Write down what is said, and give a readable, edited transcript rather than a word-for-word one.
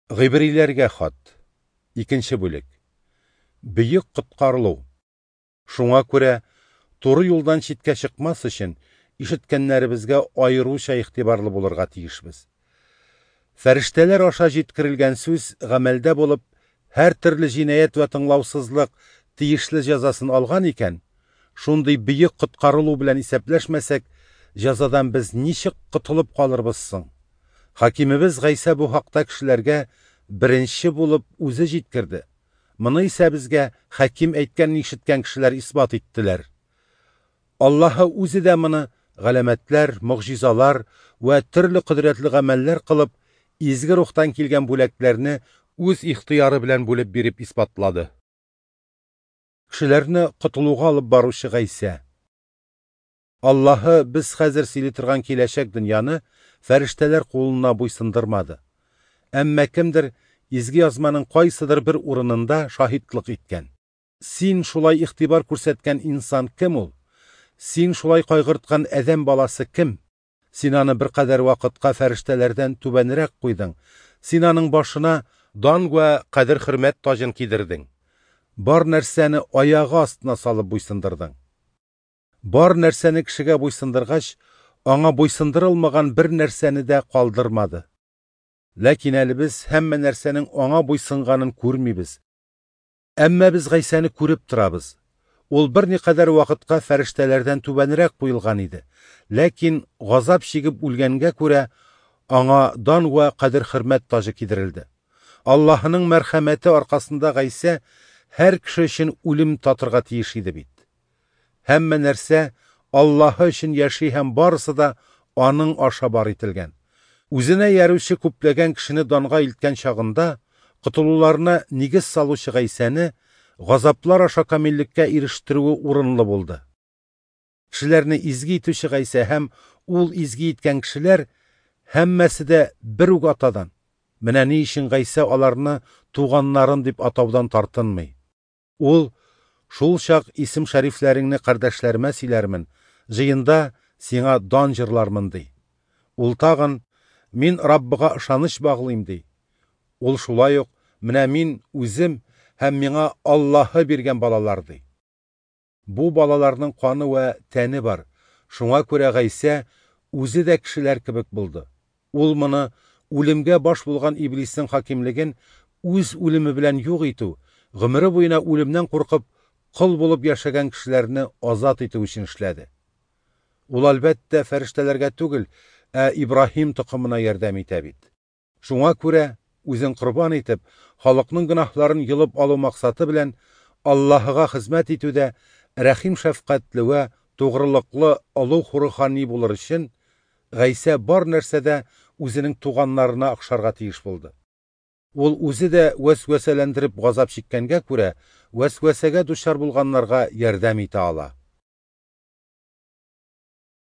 Гыйбриләргә хат. Икенче бүлек. Бөек коткарылу. Шуңа күрә, туры юлдан читкә чыкмас өчен, ишеткәннәребезгә аеруча игътибарлы булырга тиешбез. Фәрештәләр аша җиткерелгән сүз гамәлдә булып, һәртөрле җинаять вә тыңлаусызлык тиешле җәзасын алган икән, шундый бөек коткарылу белән исәпләшмәсәк, җәзадан без ничек котылып калырбыз соң? Хакимебез Гайсә бу хакта кешеләргә беренче булып үзе җиткерде. Моны исә безгә хаким әйткәнен ишеткән кешеләр исбат иттеләр. Аллаһы үзе дә моны галәмәтләр, могҗизалар вә төрле кодрәтле гамәлләр кылып, изге рухтан килгән бүләкләрне үз ихтыяры белән бүлеп биреп исбатлады. Кешеләрне котылуга алып баручы Гайсә. Аллаһы без хәзер сөйли торган киләчәк дөньяны фәрештәләр кулына буйсындырмады. Әмма кемдер изге язманың кайсыдыр бер урынында шаһитлык иткән. Син шулай игътибар күрсәткән инсан кем ул? Син шулай кайгырткан адәм баласы кем? Син аны беркадәр вакытка фәрештәләрдән түбәнрәк куйдың. Син аның башына дан вә кадер-хөрмәт таҗын кидердең. Бар нәрсәне аягы астына салып буйсындырдың. Бар нәрсәне кешегә буйсындыргач, аңа буйсындырылмаган бер нәрсәне дә калдырмады. Ләкин әле без һәммә нәрсәнең аңа буйсынганын күрмибез. Әмма без Гайсәне күреп торабыз. Ул берникадәр вакытка фәрештәләрдән түбәнрәк куелган иде. Ләкин газап чигеп үлгәнгә күрә аңа дан вә кадер-хөрмәт таҗы кидерелде. Аллаһының мәрхәмәте аркасында Гайсә һәр кеше өчен үлем татырга тиеш иде бит. Һәммә нәрсә Аллаһы өчен яши һәм барысы да аның аша бар ителгән. Үзенә ярүче күпләгән кешене данга илткән чагында, котылуларына нигез салучы Гайсәне газаплар аша камиллеккә ирештерүе урынлы булды. Кешеләрне изге итүче Гайсә һәм ул изге иткән кешеләр һәммәсе дә бер үк атадан. Менә ни өчен Гайсә аларны туганнарын дип атаудан тартынмый. Ул шул чак исем шәрифләреңне кардәшләремә сөйләрмен, җыенда сиңа дан җырлармын ди. Ул тагын мин Раббыга ышаныч баглыйм ди. Ул шулай ук менә мин үзем һәм миңа Аллаһы биргән балалар ди. Бу балаларның каны вә тәне бар. Шуңа күрә Гайсә үзе дә кешеләр кебек булды. Ул моны үлемгә баш булган иблиснең хакимлеген үз үлеме белән юк итү, гомере буена үлемнән куркып, кол булып яшәгән кешеләрне азат итү өчен эшләде. Ул әлбәттә фәрештәләргә түгел, ә Ибраһим токымына ярдәм итә бит. Шуңа күрә үзен корбан итеп, халыкның гөнаһларын йолып алу максаты белән Аллаһыга хезмәт итүдә рәхим шәфкатьле вә тугрылыклы олуг рухани булыр өчен Гайсә бар нәрсәдә үзенең туганнарына охшарга тиеш булды. Ул үзе дә вәсвәсәләндереп газап чиккәнгә күрә, вәсвәсәгә дучар булганнарга ярдәм итә ала.